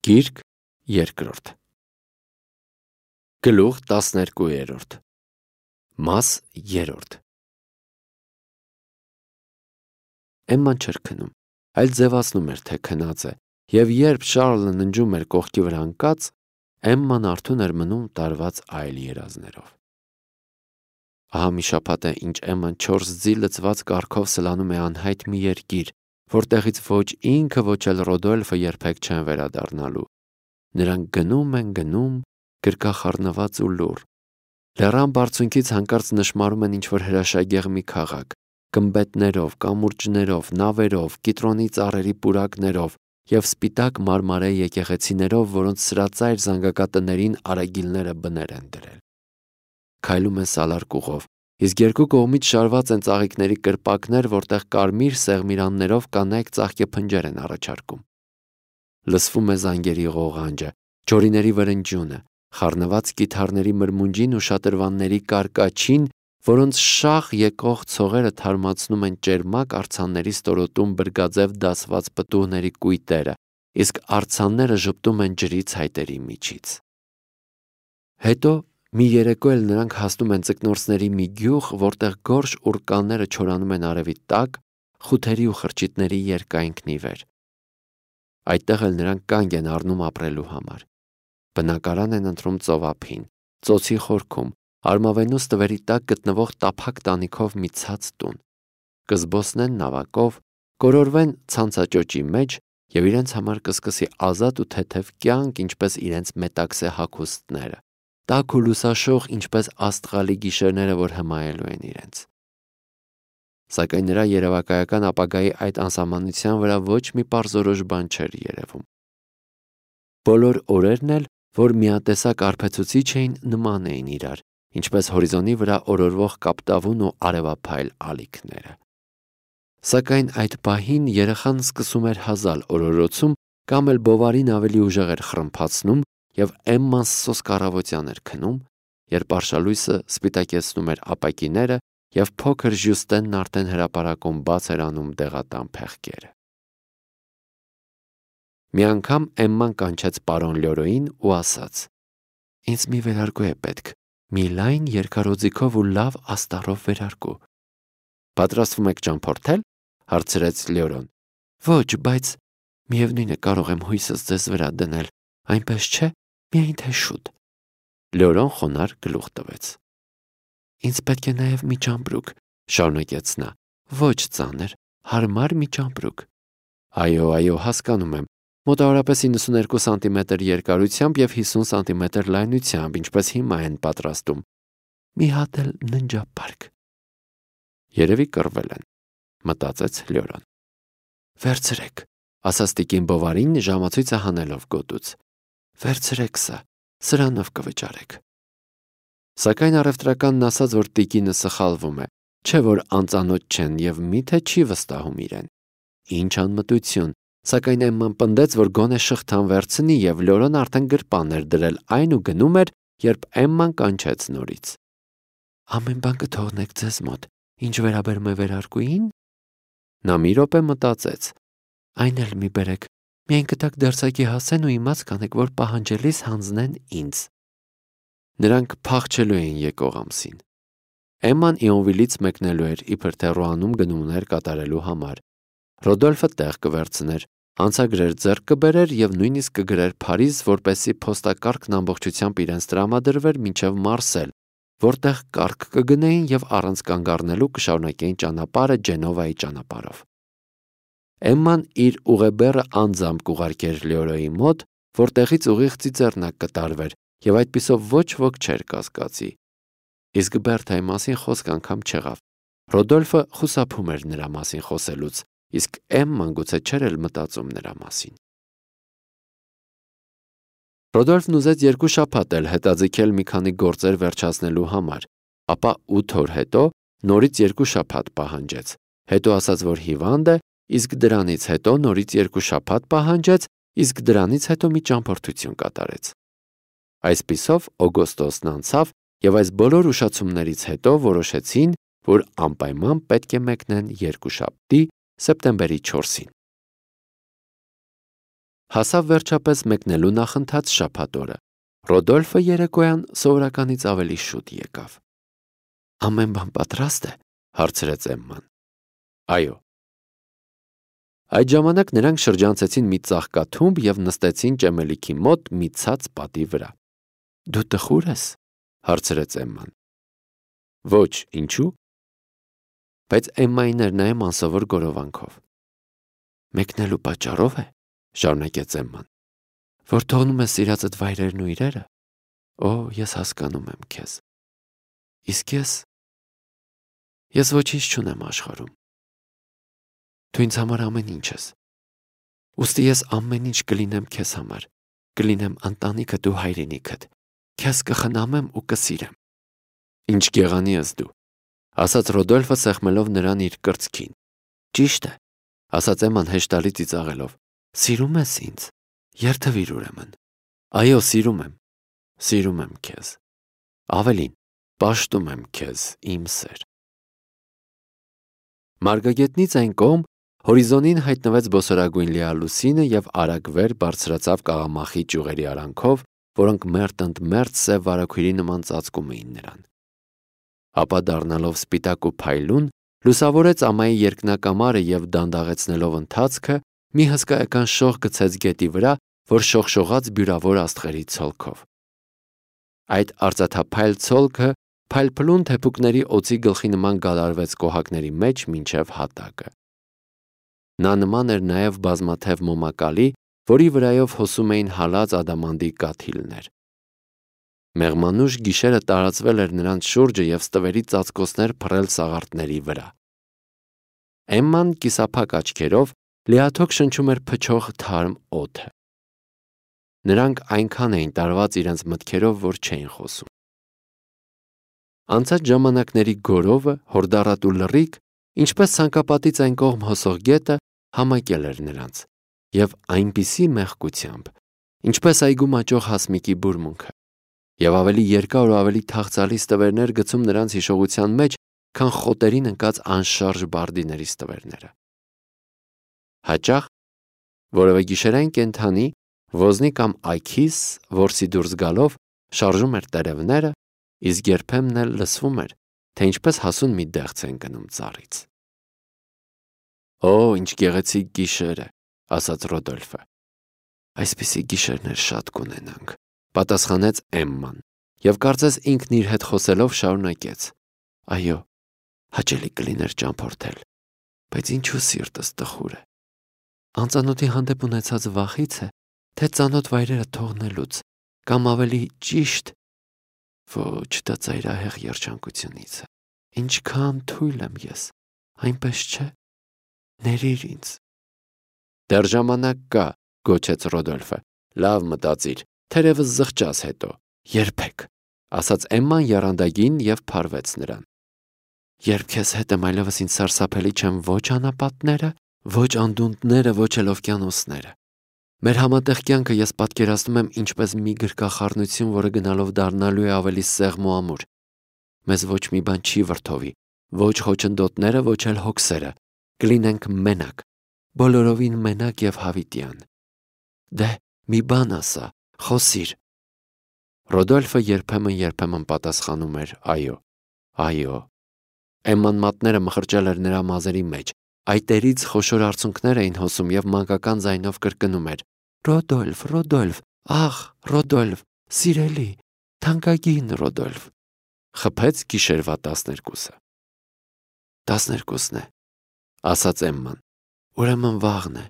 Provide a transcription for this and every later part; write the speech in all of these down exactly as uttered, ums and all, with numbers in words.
Գիրք երկրորդ Գլուխ տասներկուերորդ Մաս երրորդ Էմման չէր քնում, այլ ձևացնում էր, թե քնած է, և երբ Շառլը ննջում էր կողքի վրա ընկած, Էմման արթուն էր մնում տարված այլ երազներով։ Ահա մի շաբաթ է, ինչ Էմման չորս ձի լցված կառքով սլանում է անհայտ մի երկիր, որտեղից ոչ ինքը, ոչ էլ Ռոդոլֆը երբեք չեն վերադառնալու։ Նրանք գնում են, գնում, գրկախառնված ու լուռ։ Լեռան բարձունքից հանկարծ նշմարում են ինչ-որ հրաշագեղ մի քաղաք, գմբեթներով, կամուրջներով, նավերով, կիտրոնի ծառերի պուրակներով և սպիտակ մարմարե եկեղեցիներով, որոնց սրածայր զանգակատներին արագիլները բներ են դրել։ Քայլում են սալարկուղով, իսկ երկու կողմից շարված են ծաղիկների կրպակներ, որտեղ կարմիր սեղմիրաններով կանայք ծաղկեփնջեր են առաջարկում։ Լսվում է զանգերի ղողանջը, ջորիների վրնջյունը, խառնված կիթառների մրմունջին ու շատրվանների կարկաչին, որոնց շաղ եկող ցողերը թարմացնում են ճերմակ արձանների ստորոտում բրգաձև դասված պտուղների կույտերը, իսկ արձանները ժպտում են ջրի ցայտերի միջից։ Հետո մի երեկո էլ նրանք հասնում են ձկնորսների մի գյուղ, որտեղ գորշ ուռկանները չորանում են արևի տակ, խութերի ու խրճիթների երկայնքն ի վեր։ Այդտեղ էլ նրանք կանգ են առնում ապրելու համար։ Բնակարան են ընտրում ծովափին, ծոցի խորքում, արմավենու ստվերի տակ գտնվող տափակ տանիքով մի ցած տուն։ Կզբոսնեն նավակով, կորորվեն ցանցաճոճի մեջ և իրենց համար կսկսի ազատ ու թեթև կյանք, ինչպես իրենց մետաքսե հագուստները, տաք ու լուսաշող, ինչպես աստղալի գիշերները, որ հմայելու են իրենց։ Սակայն նրա երևակայական ապագայի այդ անսահմանության վրա ոչ մի պարզորոշ բան չէր երևում։ Բոլոր օրերն էլ, որ միատեսակ արբեցուցիչ էին, նման էին իրար, ինչպես հորիզոնի վրա օրորվող կապտավուն ու արևափայլ ալիքները։ Սակայն այդ պահին երեխան սկսում էր հազալ օրորոցում կամ էլ բովարին ավելի ուժեղ էր խռմփացնում և Էմման սոսկ առավոտյան էր քնում, երբ արշալույսը սպիտակեցնում էր ապակիները և փոքր Ժյուստենն արդեն հրապարակում բաց էր անում դեղատան փեղկերը։ Մի անգամ Էմման կանչեց պարոն Լյորոին ու ասաց. «Ինձ մի վերարկու է պետք, մի լայն երկարոձիքով ու լավ աստառով վերարկու»։ «Պատրաստվում եք ճամփորդել» հարցրեց Լյորոն։ «Ոչ, բայց միևնույն է, կարող եմ հույսս ձեզ վրա դնել, այնպես չէ, միայն թե շուտ»։ Լյորոն խոնարհ գլուխ տվեց։ «Ինձ պետք է նաև մի ճամպրուկ», շարունակեց նա, «ոչ ծանր, հարմար մի ճամպրուկ»։ «Այո, այո, հասկանում եմ, մոտավորապես իննսուներկու սանտիմետր երկարությամբ և հիսուն սանտիմետր լայնությամբ, ինչպես հիմա են պատրաստում։ Մի հատ էլ ննջապարկ»։ Երևի կռվել են, մտածեց Լյորոն։ «Վերցրեք», ասաց տիկին Բովարին ժամացույցը հանելով գոտուց։ «Վերցրեք սա, սրանով կվճարեք»։ Սակայն առևտրականն ասաց, որ տիկինը սխալվում է, չէ որ անծանոթ չեն և միթե չի վստահում իրեն։ Ինչ անմտություն, սակայն Էմման պնդեց, որ գոնե շղթան վերցնի, և Լյորոն արդեն գրպան էր դրել այն ու գնում էր, երբ Էմման կանչեց նորից։ «Ամեն բան կթողնեք ձեզ մոտ, ինչ վերաբերում է վերարկուին»։ Նա մի րոպե մտածեց. «Այն էլ մի բերեք, միայն կտակ դերձակի հասեն ու իմաց կանեք, որ պահանջելիս հանձնեն ինձ»։ Նրանք փախչելու էին եկող ամսին։ Էմման Իոնվիլից մեկնելու էր իբր թե Ռոանում գնումներ կատարելու համար։ Ռոդոլֆը տեղ կվերցներ, անցագրեր ձեռք կբերեր և նույնիսկ կգրեր Փարիզ, որպեսզի փոստակարգն ամբողջությամբ իրենց տրամադրվեր մինչև Մարսել, որտեղ կառք կգնեին և առանց կանգ առնելու կշարունակեին ճանապարհը Ջենովայի ճանապարհով։ Էմման իր ուղեբեռը անձամբ կուղարկեր Լյորոյի մոտ, որտեղից ուղիղ ծիծեռնակ կտարվեր, և այդպիսով ոչ ոք չէր կասկածի։ Իսկ Բերթայի մասին խոսք անգամ չեղավ։ Ռոդոլֆը խուսափում էր նրա մասին խոսելուց, իսկ Էմման գուցե չէր էլ մտածում նրա մասին։ Ռոդոլֆն ուզեց երկու շաբաթ էլ հետաձգել մի քանի գործեր վերջացնելու համար, ապա ութ օր հետո նորից երկու շաբաթ պահանջեց, հետո ասաց, որ հիվանդ է, իսկ դրանից հետո նորից երկու շաբաթ պահանջեց, իսկ դրանից հետո մի ճամփորդություն կատարեց։ Այսպիսով օգոստոսն անցավ, և այս բոլոր ուշացումներից հետո որոշեցին, որ անպայման պետք է մեկնեն երկուշաբթի, սեպտեմբերի չորսին։ Հասավ վերջապես մեկնելու նախընթաց շաբաթ օրը։ Ռոդոլֆը երեկոյան սովորականից ավելի շուտ եկավ։ Ամեն բան պատրաստ է, հարցրեց Էմման։ Այո։ Այդ ժամանակ նրանք շրջանցեցին մի ծաղկաթումբ և նստեցին ճեմելիքի մոտ մի ցած պատի վրա։ Դու տխուր ես, հարցրեց Էմման։ Ոչ, ինչու՞։ Բայց Էմմային էր նայում անսովոր գորովանքով։ Մեկնելու պատճառով է, շարունակեց Էմման, որ թողնում ես սիրածդ վայրերն ու իրերը։ Օ, ես հասկանում եմ քեզ։ Իսկ ես… Ես ոչինչ չունեմ աշխարհում։ Դու ինձ համար ամեն ինչ ես։ Ուստի ես ամեն ինչ կլինեմ քեզ համար, կլինեմ ընտանիքը, դու հայրենիքդ, քեզ կխնամեմ ու կսիրեմ։ Ինչ գեղանի ես դու, ասաց Ռոդոլֆը սեղմելով նրան իր կրծքին։ Ճիշտ է, ասաց Էմման հեշտալի ծիծաղելով։ Սիրում ես ինձ, երթվիր ուրեմն։ Այո, սիրում եմ, սիրում եմ քեզ։ Ավելին, պաշտում եմ քեզ, իմ սեր։ Մարգագետնից այն կողմ հորիզոնին հայտնվեց բոսորագույն լիալուսինը և արագ վեր բարձրացավ կաղամախի ճյուղերի արանքով, որոնք մերթ ընդ մերթ սև վարագույրի նման ծածկում էին նրան։ Ապա դառնալով սպիտակ ու փայլուն, լուսավորեց ամայի երկնակամարը և դանդաղեցնելով ընթացքը, մի հսկայական շող գցեց գետի վրա, որ շողշողաց բյուրավոր աստղերի ցոլքով։ Այդ արծաթափայլ ցոլքը փայլփլուն թեփուկների օձի գլխի նման գալարվեց կոհակների մեջ մինչև հատակը։ Նա նման էր նաև բազմաթև մոմակալի, որի վրայով հոսում էին հալած ադամանդի կաթիլներ։ Մեղմանուշ գիշերը տարածվել էր նրանց շուրջը և ստվերի ծածկոցներ փռել սաղարթների վրա։ Էմման կիսափակ աչքերով լիաթոք շնչում էր փչող թարմ օդը։ Նրանք այնքան էին տարված իրենց մտքերով, որ չէին խոսում։ Անցած ժամանակների գորովը, հորդառատ ու լռիկ, ինչպես ցանկապատից այն կողմ հոսող գետը, համակել էր նրանց, և այնպիսի մեղքությամբ, ինչպես այգու մաճող հասմիկի բուրմունքը, և ավելի երկար ու ավելի թախծալի ստվերներ գցում նրանց հիշողության մեջ, քան խոտերին ընկած անշարժ բարդիների ստվերները։ Հաճախ որևէ գիշերային կենդանի, ոզնի կամ այգիս, որսի դուրս գալով, շարժում էր տերևները, իսկ երբեմն էլ լսվում էր, թե ինչպես հասուն մի դեղց են գնում ծառից։ Օ, ինչ գեղեցիկ գիշեր է, ասաց Ռոդոլֆը։ Այսպիսի գիշերներ շատ կունենանք, պատասխանեց Էմման, և կարծես ինքն իր հետ խոսելով շարունակեց. Այո, հաճելի կլիներ ճամփորդել, բայց ինչու սիրտս տխուր է։ Անծանոթի հանդեպ ունեցած վախից է, թե ծանոթ վայրերը թողնելուց, կամ ավելի ճիշտ, ոչ, դա ծայրահեղ երջանկությունից է։ Ինչքան թույլ եմ ես, այնպես չէ։ Ներիր ինձ։ Դեռ ժամանակ կա, գոչեց Ռոդոլֆը։ Լավ մտածիր, թերևս զղջաս հետո։ Երբեք, ասաց Էմման եռանդագին և փարվեց նրան։ Երբ քեզ հետ եմ, այլևս ինձ սարսափելի չեն ոչ անապատները, ոչ անդունդները, ոչ էլ օվկիանոսները։ Մեր համատեղ կյանքը ես պատկերացնում եմ ինչպես մի գրկախառնություն, որը գնալով դառնալու է ավելի սեղմ ու ամուր։ Մեզ ոչ մի բան չի վրդովի, ոչ խոչընդոտները, ոչ էլ հոգսերը։ Կլինենք մենակ, բոլորովին մենակ և հավիտյան։ Դե, մի բան ասա, խոսիր։ Ռոդոլֆը երբեմն-երբեմն պատասխանում էր այո, այո։ Էմման մատները մխրճել էր նրա մազերի մեջ, այտերից խոշոր արցունքներ էին հոսում և մանկական ձայնով կրկնում էր. Ռոդոլֆ, Ռոդոլֆ, ախ, Ռոդոլֆ, սիրելի, թանկագին Ռոդոլֆ։ Խփեց գիշերվա տասներկուսը։ Տասներկուսն է, ասաց Էմման։ Ուրեմն վաղն է,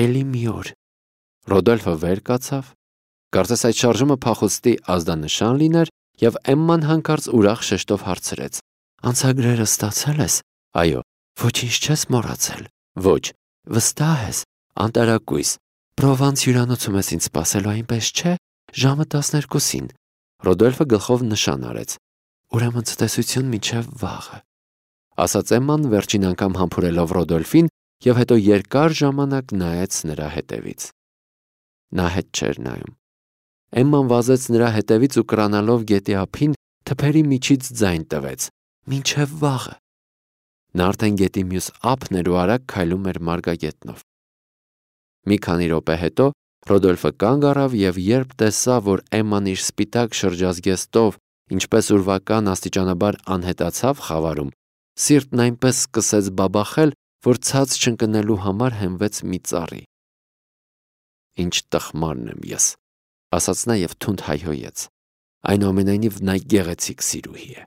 էլի մի օր։ Ռոդոլֆը վեր կացավ, կարծես այդ շարժումը փախուստի ազդանշան լիներ, և Էմման հանկարծ ուրախ շեշտով հարցրեց. Անցագրերը ստացել ես։ Այո։ Ոչինչ չես մոռացել։ Ոչ։ Վստահ ես։ Անտարակույս։ Պրովանս հյուրանոցում ես ինձ սպասելու, այնպես չէ։ Ժամը տասներկուսին։ Ռոդոլֆը գլխով նշան արեց։ Ուրեմն ցտեսություն մինչև վաղը, ասաց Էմման վերջին անգամ համբուրելով Ռոդոլֆին և հետո երկար ժամանակ նայեց նրա հետևից։ Նա հետ չէր նայում։ Էմման վազեց նրա հետևից ու կրանալով գետի ափին թփերի միջից ձայն տվեց. Մինչև վաղը։ Նա արդեն գետի մյուս ափն էր ու արագ քայլում էր մարգագետնով։ Մի քանի րոպե հետո Ռոդոլֆը կանգ առավ և երբ տեսավ, որ Էմման իր սպիտակ շրջազգեստով, ինչպես ուրվական աստիճանաբար անհետացավ խավարում, սիրտն այնպես սկսեց բաբախել, որ ցած չընկնելու համար հենվեց մի ծառի։ «Ինչ տխմարն եմ ես», ասաց նա և թունդ հայհոյեց։ Այնուամենայնիվ նա գեղեցիկ սիրուհի է։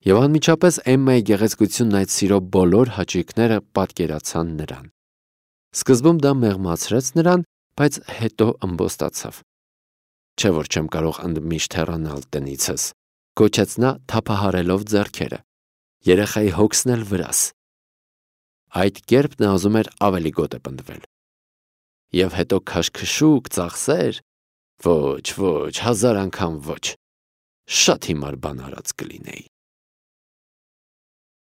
Եվ անմիջապես Էմմայի գեղեցկությունն այդ սիրո բոլոր հաճույքները պատկերացան նրան։ Սկզբում դա մեղմացրեց նրան, բայց հետո ըմբոստացավ։ «Չէ՞ որ չեմ կարող ընդմիշտ հեռանալ տնիցս», գոչեց նա թափահարելով ձեռքերը։ «Երեխայի հոգսն էլ վրաս»։ Այդ կերպ նա ուզում էր ավելի գոտեպնդվել։ Եվ հետո քաշքշուկ, ծախսեր։ Ոչ, ոչ, հազար անգամ ոչ։ Շատ հիմար բան արած կլինեի։